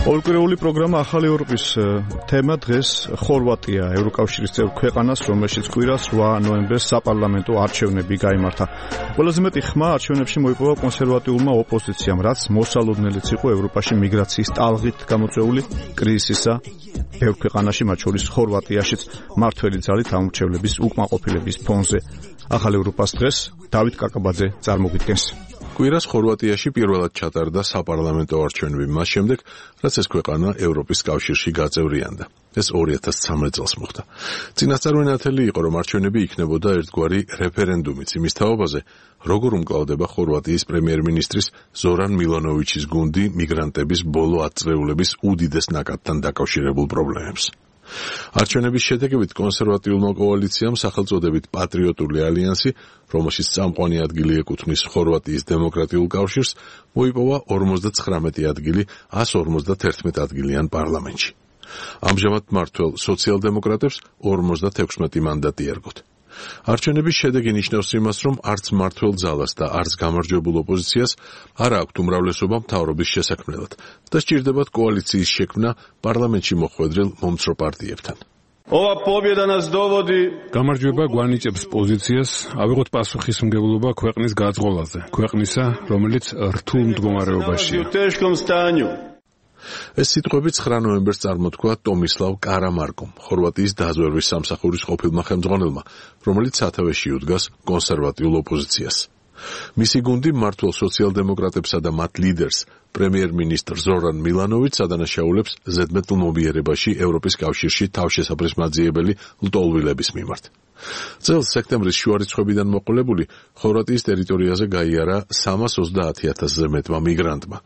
ორკვირეული პროგრამა ახალი ევროპის თემა დღეს ხორვატია, ევროკავშირის წევრ ქვეყანას, რომელშიც კვირას 8 ნოემბერს საპარლამენტო არჩევნები გაიმართა. ყველაზე მეტი ხმა არჩევნებში მოიპოვა კონსერვატიულმა ოპოზიციამ, რაც მოსალოდნელიც იყო ევროპაში მიგრაციის ტალღით გამოწვეული კრიზისისა ბევრ ქვეყანაში, მათ შორის ხორვატიაშიც მართველი ძალით ამორჩევლების უკმაყოფილების ფონზე. ახალ ევროპას დღეს დავით კაკაბაძე წარმოგიდგენს. კვირას ხორვატიაში პირველად ჩატარდა საპარლამენტო არჩევნები მას შემდეგ, რაც ეს ქვეყანა ევროპის კავშირში გაწევრიანდა. ეს 2013 წელს მოხდა. წინასწარ ნათელი იყო, რომ არჩევნები იქნებოდა ერთგვარი რეფერენდუმიც იმის თაობაზე, როგორ უმკლავდება ხორვატიის პრემიერ-მინისტრის ზორან მილანოვიჩის გუნდი მიგრანტების ბოლო 10 წლეულების უდიდეს ნაკადთან დაკავშირებულ პრობლემებს. არჩევნების შედეგებით კონსერვატიულმა კოალიციამ სახელწოდებით პატრიოტული ალიანსი, რომელშიც წამყვანი ადგილი ეკუთვნის ხორვატიის დემოკრატიულ კავშირს, მოიპოვა 59 ადგილი 151 ადგილიან პარლამენტში. ამჟამად მმართველ სოციალ-დემოკრატებს 56 მანდატი ერგოთ. არჩევნების შედეგი ნიშნავს იმას, რომ არც მმართველ ძალას და არც გამარჯვებულ ოპოზიციას არ აქვთ უმრავლესობა მთავრობის შესაქმნელად და სჭირდებათ კოალიციის შექმნა პარლამენტში მოხვედრილ მომცრო პარტიებთან. გამარჯვება გვანიჭებს პოზიციას ავიღოთ პასუხისმგებლობა ქვეყნის გაძღოლაზე, ქვეყნისა, რომელიც რთულ მდგომარეობაშია. ეს სიტყვები 9 ნოემბერს წარმოთქვა ტომისლავ კარამარკომ, ხორვატიის დაზვერვის სამსახურის ყოფილმა ხელმძღვანელმა, რომელიც სათავეში უდგას კონსერვატიულ ოპოზიციას. მისი გუნდი მმართველ სოციალ-დემოკრატებსა და მათ ლიდერს, პრემიერ-მინისტრ ზორან მილანოვიჩს ადანაშაულებს ზედმეტლმობიერებაში ევროპის კავშირში თავშესაფრისმაძიებელი ლტოლვილების მიმართ. წელს სექტემბრის შუა რიცხვებიდან მოყოლებული ხორვატიის ტერიტორიაზე გაიარა 330,000-ზე მეტმა მიგრანტმა,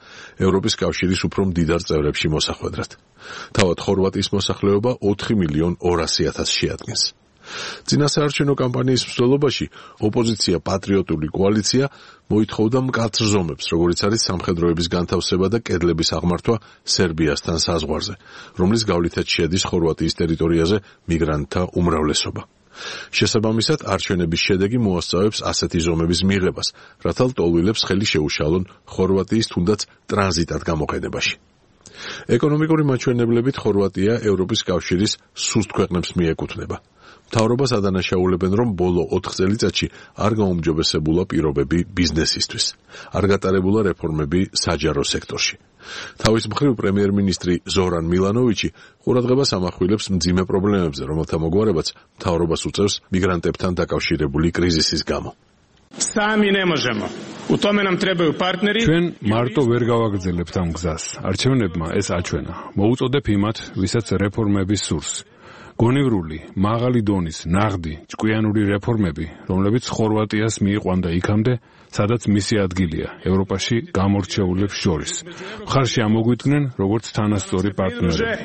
ევროპის კავშირის უფრო მდიდარ წევრებში მოსახვედრად. თავად ხორვატიის მოსახლეობა 4,200,000 შეადგენს. წინასაარჩევნო კამპანიის მსვლელობაში ოპოზიცია პატრიოტული კოალიცია მოითხოვდა მკაცრ ზომებს, როგორიც არის სამხედროების განთავსება და კედლების აღმართვა სერბიასთან საზღვარზე, რომლის გავლითაც შედის ხორვატიის ტერიტორიაზე მიგრანტთა უმრავლესობა. შესაბამისად, არჩევნების შედეგი მოასწავებს ასეთი ზომების მიღებას, რათა ლტოლვილებს ხელი შეუშალონ ხორვატიის თუნდაც ტრანზიტად გამოყენებაში. ეკონომიკური მაჩვენებლებით ხორვატია ევროპის კავშირის სუსტ ქვეყნებს მიეკუთვნება. მთავრობას ადანაშაულებენ, რომ ბოლო 4 წელიწადში არ გაუმჯობესებულა პირობები ბიზნესისთვის, არ გატარებულა რეფორმები საჯარო სექტორში. თავის მხრივ პრემიერ-მინისტრი ზორან მილანოვიჩი ყურადღებას ამახვილებს მძიმე პრობლემებზე, რომელთა მოგვარებაც მთავრობას უწევს მიგრანტებთან დაკავშირებული კრიზისის გამო. ჩვენ მარტო ვერ გავაგრძელებთ ამ გზას. არჩევნებმა ეს აჩვენა. მოუწოდებ იმათ, ვისაც რეფორმების სურს. გონივრული, მაღალი დონის, ნაღდი, ჭკვიანური რეფორმები, რომლებიც ხორვატიას მიიყვანდა იქამდე, სადაც მისი ადგილია, ევროპაში გამორჩეულებს შორის. მხარში ამოგვიდგნენ, როგორც თანასწორი პარტნიორები.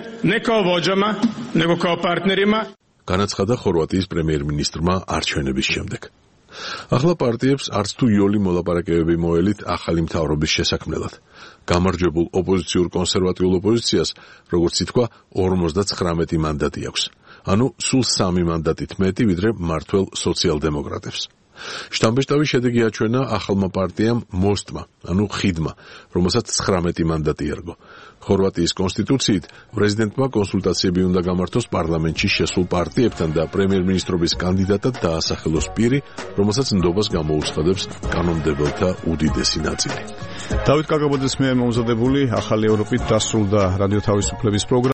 განაცხადა ხორვატიის პრემიერ-მინისტრმა არჩევნების შემდეგ. ახლა პარტიებს არც თუ იოლი მოლაპარაკებები მოელით ახალი მთავრობის შესაქმნელად. გამარჯვებულ ოპოზიციურ კონსერვატიულ ოპოზიციას, როგორც ითქვა, 59 მანდატი აქვს. ანუ სულ 3 მანდატით მეტი, ვიდრე მმართველ სოციალ-დემოკრატებს. შტამბეშტავი შედეგი აჩვენა ახალმა პარტიამ მოსტმა, ანუ ხიდმა, რომელსაც 19 მანდატი ერგო. ხორვატიის კონსტიტუციით პრეზიდენტმა კონსულტაციები უნდა გამართოს პარლამენტში შესულ პარტიებთან და პრემიერ-მინისტრობის კანდიდატად დაასახელოს პირი, რომელსაც ნდობას გამოუცხადებს კანონმდებელთა უდიდესი ნაწილი. დავით კაკაბაძის მიერ მომზადებული ახალი ევროპით დასრულდა რადიო თავისუფლების პროგრამა.